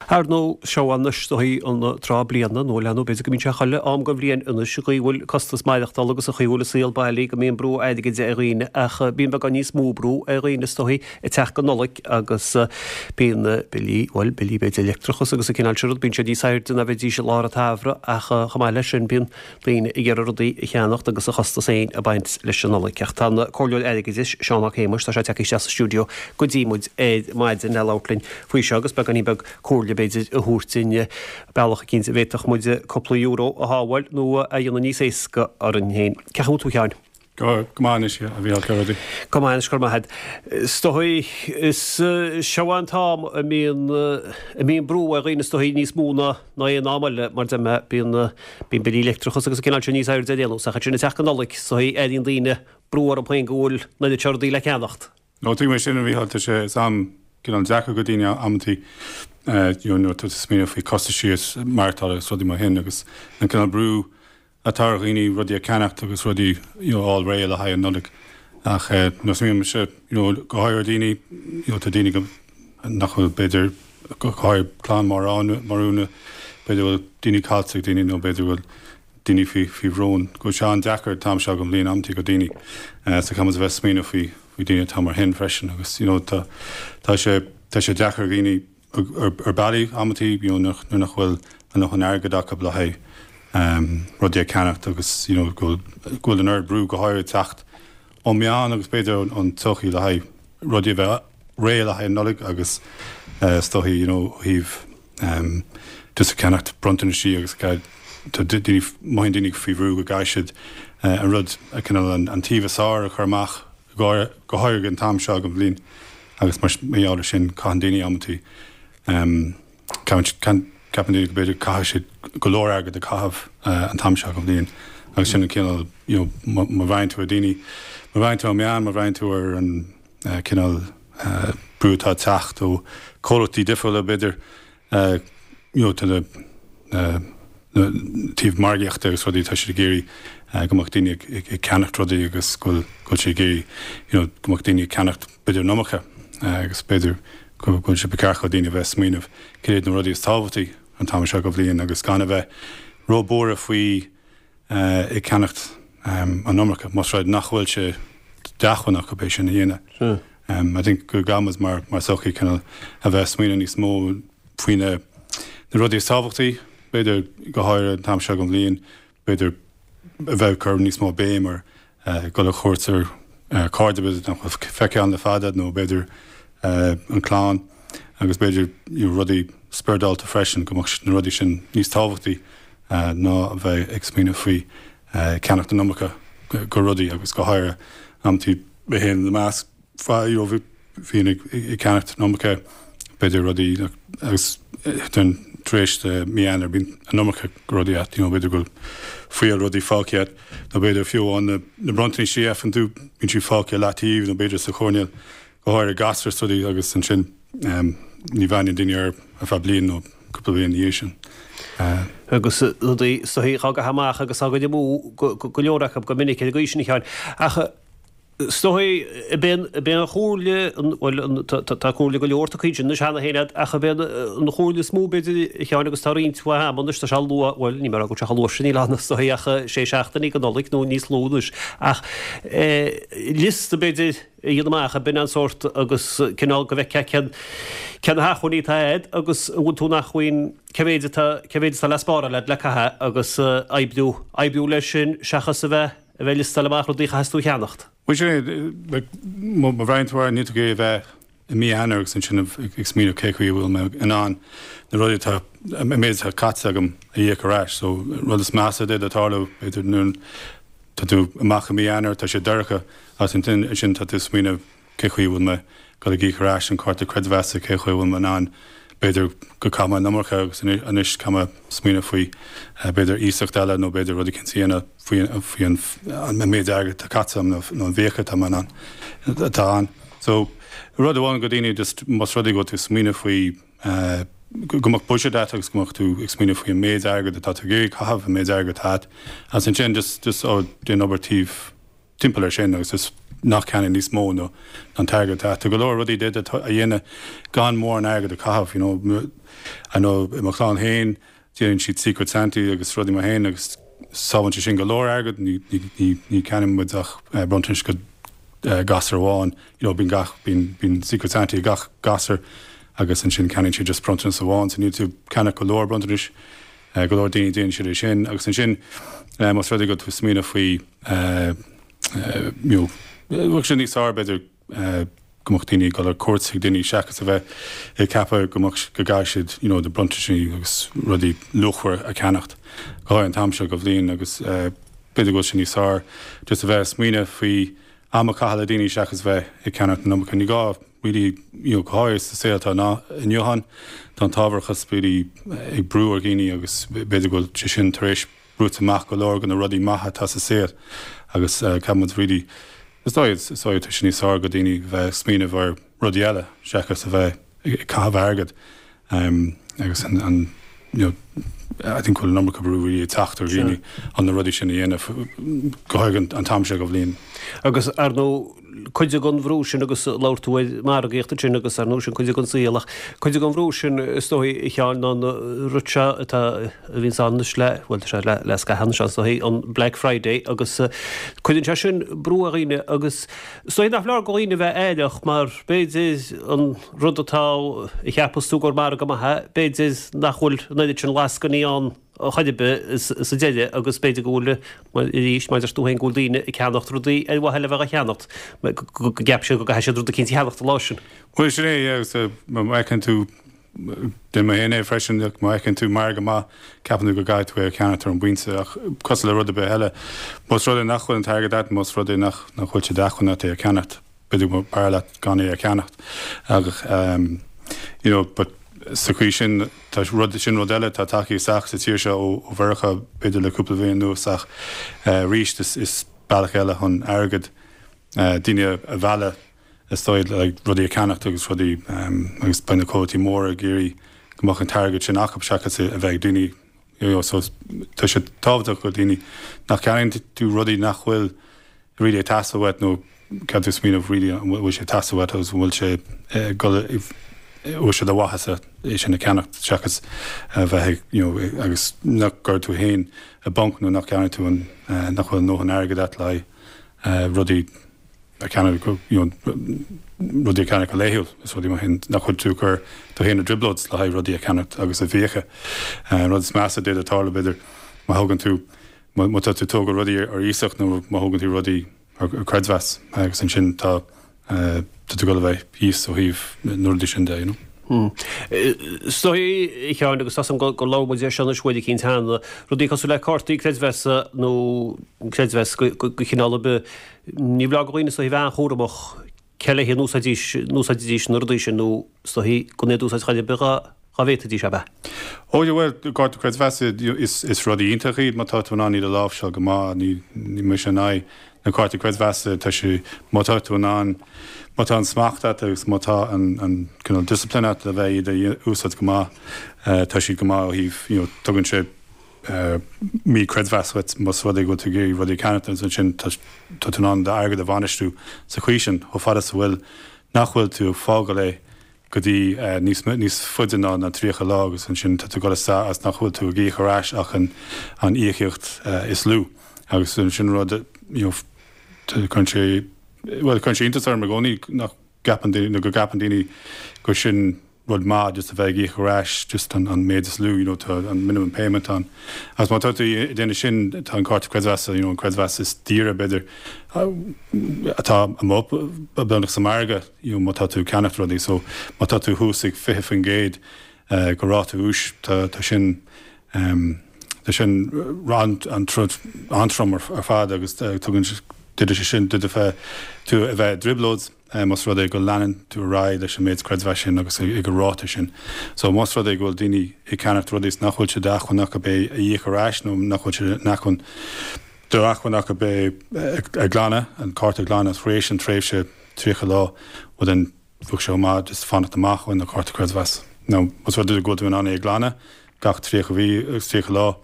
Ar ndóigh, seo anois is dóichí an tráth bliana, nó leanúint, b'fhéidir go mbíonn sé chuile am den bhliain anois, an chaoi a bhfuil costas maireachtála agus an chaoi a bhfuil an saol bailí, go mbíonn brú airgid ar dhaoine, ach bíonn beagán níos mó brú ar dhaoine is dóichí ag teacht go Nollaig agus bíonn billí, bhuel, billí b'fhéidir leictreachas agus an cineál sin rud, bíonn siad níos airde ná bheidís i lár an tsamhraidh ach chomh maith leis sin bíonn daoine ag iarraidh rudaí a cheannacht agus a chostas féin ag baint leis an Nollaig. Ach tá an Comhairleoir Airgeadais, Seán Mac Shéamais, tá sé tagtha isteach sa stiúideo go dtí muid ar maidin le labhairt linn faoi seo agus beagáinín beag comhairle b'fhéidir a thabhairt dúinn, bealach eicínt a bhféadfadh muid cúpla euro a shábháil nó a dhéanamh níos éasca orainn féin. Cén chaoi a bhfuil tú a Sheáin? Go maith anois, a Mhícheáil, cén rudaí? Go maith anois, go raibh maith agat. Is dóigh, is seo an t-am a mbíonn, a mbíonn brú ar dhaoine is dóigh níos mó ná ná aon am eile, mar deir mé, bíonn, bíonn billí leictreachas agus an cineál sin níos airde ar aon nós, ach ansin ag teacht go Nollaig, is dóigh, airíonn daoine brú orthu féin go bhfuil an oiread seo rudaí le ceannacht. No, tuigim é sin, a Mhícheáil, tá sé, is am cineál deacair go daoine amantaí, you know, nuair atá tú ag smaoineamh faoi costaisí is maireachtála agus rudaí mar shin agus an cineál brú atá ar dhaoine rudaí a cheannacht agus rudaí you know fháil réidh le haghaidh an Nollaig ach nuair a smaoiníonn mise you know go háirithe ar daoine you know tá daoine go nach bhfuil b'fhéidir go háirithe clann marbh b'fhéidir go bhfuil daoine caillte ag daoine nó b'fhéidir go bhfuil daoine faoi faoi bhrón go bhfuil sé an-deacair an t-am seo den bhliain amantaí go daoine so caithfidh muid a bheith ag smaoineamh faoi faoi daoine atá mar shin freisin agus you know tá tá sé tá sé deacair ar dhaoine ar bealaí amantaí you know nuair nach bhfuil a ndóthain airgid acu le haghaidh rudaí a cheannacht agus you know go bhfuil an oiread brú go háirithe ag teacht ón meán agus b'fhéidir ón tsochaí le haghaidh rudaí a bheith réidh le haghaidh an Nollaig agus is dóichí you know ó thaobh just ag ceannacht bronntanaisí agus tá daoine mothaíonn daoine faoi bhrú go gcaithfidh siad an rud cineál an taobh is fearr a chur amach go háirithe an t-am seo den bhliain agus mar gheall ar sin caitheann daoine amantaí, ceapann daoine go b'fhéidir caithfidh siad go leor airgead a chaitheamh an t-am seo den bhliain agus sin an cineál you know má bhreathnaíonn tú ar daoine, má bhreathnaíonn tú ar meán, má bhreathnaíonn tú ar an cineál brú atá ag teacht ó chomhlachtaí difriúla b'fhéidir you know tá na taobh margaíochta agus rudaí tá siad ag iarraidh go mbeadh daoine ag ceannacht rudaí agus go bhfuil go bhfuil siad ag iarraidh you know go mbeadh daoine ag ceannacht b'fhéidir an iomarca agus b'fhéidir go bhfuil sé ba cheart do daoine a bheith ag smaoineamh cad iad na rudaí is tábhachtaí an t-am seo den bhliain agus gan a bheith ró-buartha faoi ag ceannacht an iomarca, más rud nach bhfuil sé d'acmhainn acu é sin a dhéanamh. I think go gcaithfidh muid mar sochaí cineál a bheith ag smaoineamh níos mó faoi na rudaí is tábhachtaí, b'fhéidir go háirithe an t-am seo den bhliain, b'fhéidir a bheith ag cur níos mó béim ar dhul ar chuairt ar cairde b'fhéidir nach bhfuil feicthe ann le fada nó b'fhéidir an clann agus b'fhéidir rudaí spioradálta freisin, go mbeadh na rudaí sin níos tábhachtaí. ná a bheith ag smaoineamh faoi ceannacht an iomarca go rudaí agus go háirithe amantaí mé féin ina measc you know bhíonn ag ceannacht an iomarca b'fhéidir rudaí agus den tar éis mí Eanáir bíonn an iomarca rudaí agat you know b'fhéidir go bhfuil fuíoll rudaí fágtha agat nó b'fhéidir fiú amháin na bronntanais a fhaigheann tú bíonn siad fágtha i leataobh nó b'fhéidir sa choirnéal go háirithe gasúir is rudaí agus ansin ní bhreathnaíonn daoine air ar feadh bliain nó cúpla bliain ina dhiaidh sin. Agus rudaí is dóichí á gcaitheamh amach agus á gcur amú go leor acu go minic ar an gcaoi sin a Sheáin. Ach is dóichí, ab é an chomhairle, bhuel tá comhairle go leor tugtha ansin anois cheana féin agat, ach ab é an chomhairle is mó b'fhéidir a Sheáin agus tá roinnt mhaith ama anois, tá sé luath, bhuel ní mé a rá go bhfuil sé chomh luath sin níl ann is dóichí ach sé seachtainí go Nollaig nó níos lú anois ach liosta b'fhéidir, a dhéanamh amach, ab in an sórt agus cineál go bhfeicfeá cén, cé na hacmhainní atá agat agus an bhfuil tú in acmhainn, cé mhéid atá, cé mhéid atá le spáráil agat le caitheamh agus oibriú, oibriú leis sin seachas a bheith, a bheith ag liostáil amach rudaí a chaithfeas tú a cheannacht. Bhuel sin é, like, má bhreathnaíonn tú air, níl tú ag iarraidh a bheith i mí Eanáir agus ansin ag smaoineamh cé chaoi a bhfuil mé in ann na rudaí atá, an méid atá caite agam a íoc ar ais. So, rud is measa a d'fhéadfadh tarlú, b'fhéidir nuair tá tú amach i mí Eanáir, tá sé dorcha agus ansin tá tú ag smaoineamh cé chaoi a bhfuil mé ag dul ag íoc ar ais an cárta creidmheasa, cé chaoi a bhfuil mé in ann, b'fhéidir go chaith mé an iomarca agus anois caithfidh mé smaoineamh faoi b'fhéidir iasacht eile nó b'fhéidir rud eicínt a dhéanamh faoi an méid airgid atá caite agam nó an bhfiacha atá mé in ann, atá ann. So, rud amháin go daoine just más rud é go bhfuil tú ag smaoineamh faoi go mbeadh budget agat agus go mbeadh tú ag smaoineamh faoi an méid airgid atá tú ag iarraidh caitheamh, an méid airgid atá agat agus ansin just just oh déan obair taobh timpeall ar sin agus just. Ná ceannaigh níos mó ná an t-airgead atá. Tá go leor rudaí d'fhéadfá a dhéanamh gan mórán airgead a chaitheamh, you know. I know i mo chlann féin, déanann siad Secret Santa agus rudaí mar sin agus sábhálann sé sin go leor airgead, ní, ní, ní, ní ceannaíonn muid ach bronntanais go gasúr amháin, you know, bíonn gach, bíonn, bíonn Secret Santa ag gach gasúr agus ansin ceannaíonn siad just bronntanas amháin, so níl tú ag ceannach go leor bronntanais. Go leor daoine déanann siad é sin agus ansin más rud é go bhfuil tú ag smaoineamh faoi you know bheadh sé níos fearr b'fhéidir go mbeadh daoine ag dul ar cuairt ag daoine seachas a bheith ag ceapadh go mbeadh go gcaithfidh siad you know na bronntaisí agus rudaí luachmhara a cheannacht go háirithe an t-am seo de bhliain agus b'fhéidir go bhfuil sé níos fearr just a bheith ag smaoineamh faoi am a chaitheamh le daoine seachas bheith ag ceannacht an iomarca. Ní gá really you know go háirithe sa saol atá inniu ann tá an t-ábharachas really ag brú ar dhaoine agus b'fhéidir go bhfuil sé sin tar éis brúite amach go leor de na rudaí maithe atá sa saol agus caithfidh muid really is dóigh is dóigh tá sé níos fearr do dhaoine bheith ag smaoineamh ar rudaí eile seachas a bheith ag caitheamh airgead agus an an you know I think go bhfuil an iomarca brú really ag teacht ar dhaoine chun na rudaí sin a dhéanamh go háirithe an t-am seo de bhliain. Agus ar ndóigh cuid den bhrú sin agus labhair tú ar margaíocht ansin agus ar ndóigh sin cuid den saol ach cuid den bhrú sin is dóigh a Sheáin ná an rud seo atá a bhíonns ann anois le bhuel tá sé le le scaitheamh anois is dóigh an Black Friday agus cuireann sé sin brú ar dhaoine agus is dóigh nach foláir do dhaoine a bheith aireach mar b'fhéidir an rud atá a cheapas tú gur margadh maith é, b'fhéidir nach bhfuil an oiread sin lascainí ann chor ar bith sa deireadh agus b'fhéidir go bhfuil, arís, mar a deir tú féin, go bhfuil daoine ag ceannacht rudaí ar mhaithe le bheith á cheannacht, go gceap siad go gcaithfidh siad rud eicínt a cheannacht an lá sin. Bhuel, sin é, agus má fheiceann tú, déanaim féin é freisin, má fheiceann tú margadh maith, ceapann tú go gcaithfidh tú é a cheannacht ar an bpointe, ach cosúil le rud ar bith eile, más rud é nach bhfuil an t-airgead agat, más rud é nach bhfuil sé d'acmhainn agat é a cheannacht, b'fhéidir go mb'fhearr leat gan é a cheannacht ach you know but sa chaoi sin tá rud sin rud eile atá tagtha isteach sa tír seo ó Mheiriceá b'fhéidir le cúpla bliain anuas ach arís is is bealach eile chun airgead daoine a mhealladh is dóigh le rudaí a cheannacht agus rudaí agus beidh na comhlachtaí móra ag iarraidh go mbeadh an t-airgead sin acu seachas a bheith ag daoine you know so tá sé tábhachtach go daoine nach gceannaíonn tú rudaí nach bhfuil really ag teastáil uait nó caithfidh tú smaoineamh really an bhfuil sé ag teastáil uait agus an bhfuil sé ag dul an bhfuil sé do mhaitheasa é sin a cheannacht seachas a bheith ag you know agus nach gcuir tú féin i bponc nó nach gceannaigh tú an nach bhfuil a ndóthain airgid agat le haghaidh rudaí a cheannach go you know rudaí a cheannach go laethúil is rudaí mar sin nach bhfuil tú ag cur tú féin i dtrioblóid le haghaidh rudaí a cheannacht agus a bhfiacha. An rud is measa a d'fhéadfadh tarlú b'fhéidir má thugann tú má tá tú ag tógáil rudaí ar iasacht nó má thógann tú rudaí ar creidmheas agus ansin tá tá tú ag dul a bheith thíos ó thaobh na rudaí sin de, you know. Is dóigh, a Sheáin, agus tá 's agam gur labhair muid air seo anois uair eicínt cheana, rudaí cosúil le cártaí creidmheasa nó creidmheas de chineál ar bith, ní foláir do dhaoine is dóigh a bheith an-chúramach cé léi a n-úsáidfidís na rudaí sin nó is dóigh gan iad a úsáid chor ar bith dá bhféadfaidís, ab ea? Ó yeah, bhuel, cárta creidmheasa, is rudaí iontach iad má tá tú in ann iad a láimhseáil go maith, ní mise in aghaidh na cártaí creidmheasa, tá sé, má tá tú in ann, má tá an smacht agat agus má tá an, an cineál discipline agat le bheith iad a úsáid go maith, tá siad go maith ó thaobh, you know, tugann sé, míchreidmheas dhuit más rud é go bhfuil tú ag iarraidh rudaí a cheannacht agus ansin tá tú in ann d'airgead a bhainistiú sa chaoi sin chomh fada is a bhfuil nach bhfuil tú ag fágáil é go dtí níos níos faide ná na 30 lá agus ansin tá tú ag dul isteach agus nach bhfuil tú ag íoc ar ais ach an an íocaíocht is lú agus sin rud you know cuireann sé bhuel cuireann sé iontas orm i gcónaí nach gceapann daoine nó go gceapann daoine gur sin rud maith just a bheith ag íoc ar ais just an an méid is lú you know tá an minimum payment ann agus má tá tú ag déanamh sin tá an cárta creidmheasa you know an creidmheas is daoire b'fhéidir atá amuigh beagnach sa margadh you know má tá tú ag ceannacht rudaí so má tá tú thuas ag 20% de ráta úis tá tá sin tá sin an-trom ar fad agus tugann d'fhéadfadh sé sin d'fhéadfadh tú a bheith i dtrioblóid más rud é go leanann tú ar aghaidh leis an méid creidmheas sin agus ag an ráta sin. So más rud é go bhfuil daoine ag ceannacht rudaí is nach bhfuil sé d'acmhainn acu é a íoc ar ais nó nach bhfuil sé in acmhainn d'acmhainn acu é a ghlanadh, an cárta a ghlanadh tar éis an tréimhse 30 lá, well then bheadh sé chomh maith just fanacht amach ó na cárta creidmheas. Now más rud é go bhfuil tú in ann é a ghlanadh gach 30 mhí agus 30 lá.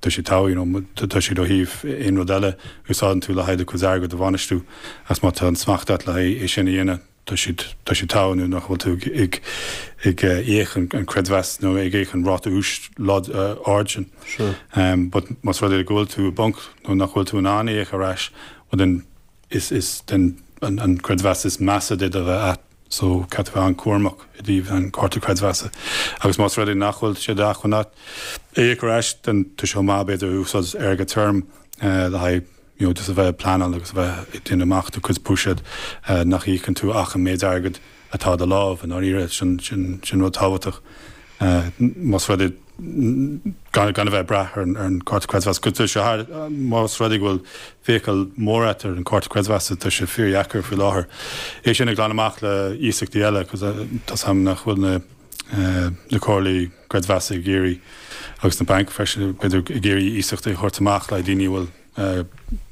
Tá sé togha, you know, tá siad ó thaobh aon rud eile a úsáideann tú le haghaidh do chuid airgead a bhainistiú agus má tá an smacht agat le haghaidh é sin a dhéanamh, tá siad, tá siad togha nó nach bhfuil tú ag, ag íoc an creidmheas nó ag íoc an ráta úis ard sin. Sure. But más rud é go bhfuil tú i bponc nó nach bhfuil tú in ann é a íoc ar ais, well then is, is then an creidmheas is measa duit a bheith agat. So, caithfidh tú bheith an-chúramach i dtaobh an cárta creidmheasa. Agus más rud é nach bhfuil sé d'acmhainn agat é a íoc ar ais, then tá sé chomh maith b'fhéidir úsáid airgead tirim le haghaidh you know just a bheith ag pleanáil agus a bheith ag déanamh amach do chuid buiséad nach íocann tú ach an méid airgid atá i do lámh i ndáiríre. Sin, sin, sin rud tábhachtach. Más rud é gan a bheith ag brath ar an gcárta creidmheasa. Tá sé thar, más rud é go bhfuil fiacha mór agat ar an gcárta creidmheasa, tá sé fíordheacair faoi láthair é sin a ghlanadh amach le iasachtaí eile, cos tá's a'm nach bhfuil na na comhairlí creidmheasa ag iarraidh agus na bainc freisin b'fhéidir ag iarraidh iasachtaí a thabhairt amach le daoine a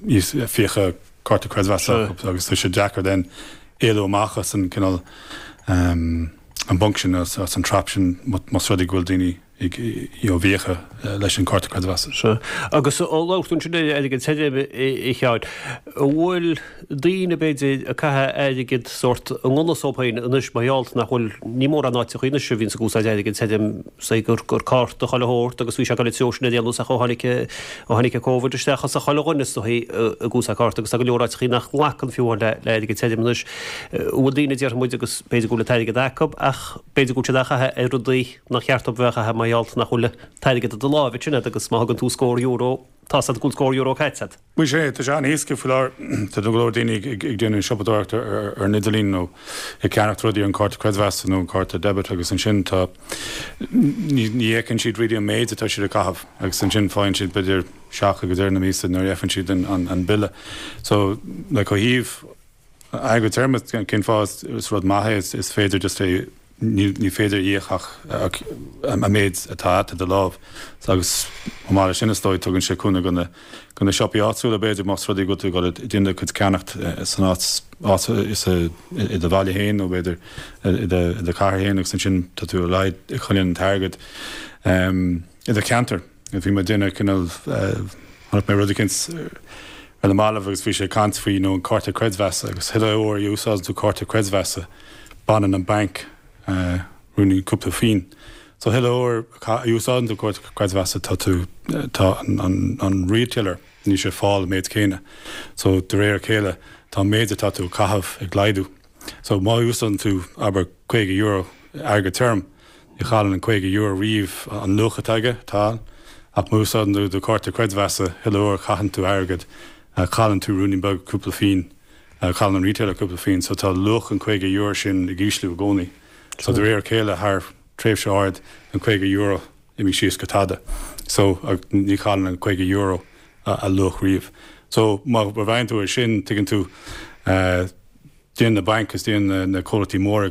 bhfuil fiacha cárta creidmheasa acu agus tá sé deacair then éalú amach as an cineál an bponc sin, as an trap sin más rud é go bhfuil daoine ag you know i bhfiacha leis an cárta creidmheasa. Sea. Agus labhair tú ansin ar airgead tirim, a Sheáin. An bhfuil daoine b'fhéidir ag caitheamh airgead sórt i ngan fhios dóibh féin anois mar gheall nach bhfuil, ní mórán áiteachaí anois a bhíonns ag úsáid airgead tirim, say gur gur cárta chuile shórt agus bhí sé ag dul an treo sin ar aon nós ach ó tháinig ó tháinig an Covid isteach thosaigh chuile dhuine is dóichí ag úsáid cárta agus tá go leor áiteachaí nach nglacann fiú amháin le le airgead tirim anois. An bhfuil daoine déarfaidh muid agus b'fhéidir go bhfuil an t-airgead acu ach b'fhéidir go bhfuil siad á chaitheamh ar rudaí nach cheart dóibh a bheith á chaitheamh mar gheall nach bhfuil an t-airgead i do láimh ansin agat agus má thugann tú scór euro tá's agat go bhfuil scór euro caite agat. Bhuel sea, tá sé an-éasca faoi láthair. Tá go leor daoine ag déanamh siopadóireacht ar an idirlíon nó ag ceannacht rudaí ar an cárta creidmheasa nó an cárta debit agus ansin tá, ní fheiceann siad really an méid atá siad ag caitheamh agus ansin faigheann siad b'fhéidir shock ag deireadh na míosa nuair a fheiceann siad an bille. So like ó thaobh Airgead tirim, cén fáth is rud maith é, is féidir just é, ní féidir íoc ach an méid atá agat i do lámh. Agus chomh maith leis sin is dóigh tugann sé cúnamh do na do na siopaí áitiúla b'fhéidir más rud é go bhfuil tú ag dul ag déanamh do chuid ceannacht san áit áit i do bhaile féin nó b'fhéidir i do i do chathair féin agus ansin tá tú ar a laghad ag coinneáil an t-airgead i do cheantar. Bhí mé ag déanamh cineál, chonaic mé rud eicínt ar na mallaibh agus bhí sé ag caint faoi you know an cárta creidmheasa agus chuile uair a úsáideann tú cárta creidmheasa baineann an banc ruainnín cúpla pingin. So chuile uair a úsáideann tú cárta creidmheasa tá tú, tá an an retailer níl sé ag fáil an méid céanna. So de réir a chéile tá an méid atá tú ag caitheamh ag laghdú. So má úsáideann tú abair €50 airgead tirim, ní chailleann an €50 riamh an luach atá aige, atá ann, ach má úsáideann tú do chárta creidmheasa, chuile uair a chaitheann tú airgead, cailleann tú ruainnín beag, cúpla pingin, cailleann an retailer cúpla pingin, so tá luach an €50 sin ag ísliú i gcónaí. So de réir a chéile, thar tréimhse áirid, an €50 imigh síos go tada. So, ní chailleann an €50 a luach riamh. So, má bhreathnaíonn tú air sin, tuigeann tú, déanann na bainc agus déanann na comhlachtaí móra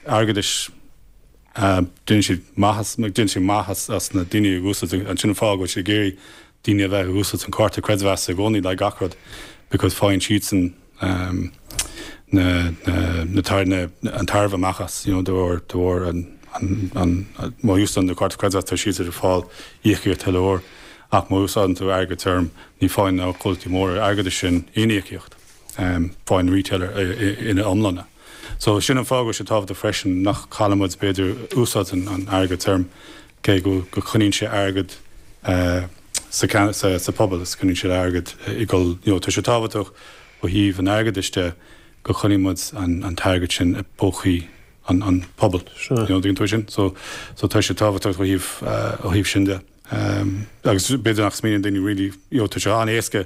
airgeadais, déanann siad maitheas, déanann siad maith as na daoine ag úsáid, an sin an fáth go bhfuil siad ag iarraidh daoine a bheith ag úsáid an cárta creidmheasa i gcónaí le gach rud because faigheann siadsan na, na, na, an tairbhe amach as, you know, de bharr, de bharr an, an, an, má úsáideann tú cárta creidmheasa tá siadsan ag fáil íocaíocht chuile uair ach má úsáideann tú airgead tirim ní faigheann na comhlachtaí móra airgeadais sin aon íocaíocht. faigheann an retailer ina iomláine. So sin an fáth go bhfuil sé tábhachtach freisin nach cailleann muid b'fhéidir úsáid an airgead tirim cé go go coinníonn sé airgead sa sa pobal is coinníonn sé airgead ag dul you know tá sé tábhachtach ó thaobh an airgeadais de go choinníonn muid an an t-airgead sin i bpócaí an an pobal. You know tuigeann tú sin? So so tá sé tábhachtach ó thaobh ó thaobh sin de. Agus b'fhéidir nach smaoiníonn daoine really, you know, tá sé an-éasca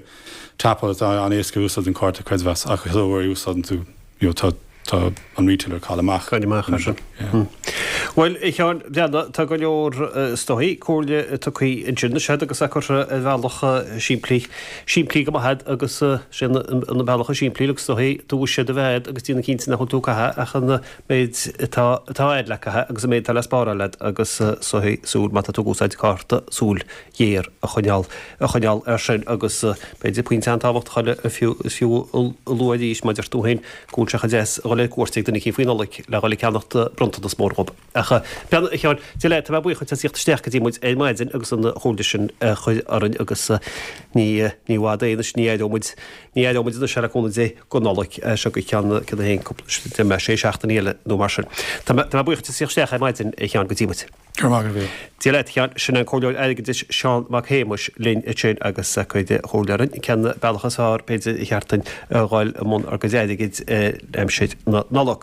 tapáil, tá an-éasca úsáid an cárta creidmheasa ach chuile uair a úsáideann tú, you know, tá tá an retailer ag cailleadh amach. Cailleadh amach as sin. Yeah. Bhuel, a Sheáin Bhreathnaigh, tá go leor is dóigh comhairle tugtha ansin anois agat agus é curtha ar bhealach simplí, simplí go maith agat agus sé an bealach is simplí agus is dóigh do bhuiséad a bheith agat agus déanamh cinnte nach bhfuil tú ag caitheamh ach an méid atá atá agat le caitheamh agus an méid atá le spáráil agat agus súil, má tá tú ag úsáid cárta, súil ghéar a choinneáil a choinneáil air sin agus b'fhéidir pointe an-tábhachtach eile a fiú is fiú a lua arís mar deir tú féin go bhfuil sé chomh deas a dhul. dhul ar cuairt ag duine eicínt faoi Nollaig le dhul ag ceannacht bronntanas mór dhób. Ach bean a Sheáin, Dia leat, tá mé buíoch duit as theacht isteach go dtí muid ar maidin agus an chomhairle sin a chur orainn agus ní ní i bhfad é anois, ní aireoidh muid, ní aireoidh muid anois le cúnamh Dé go Nollaig seo go ceann céard é féin cúpla, deir mé sé seachtainí eile nó mar sin. Tá mé tá mé buíoch duit as theacht isteach ar maidin a Sheáin go dtí muid. Go raibh maith agat a Mhíl. Dia leat a Sheáin, sin an Comhairleoir Airgeadais Seán Mac Shéamais linn ansin agus ag cur comhairle orainn cén bealach is fearr b'fhéidir a cheart duinn a dhul i mbun ár gcuid airgid aimsir na Nollag.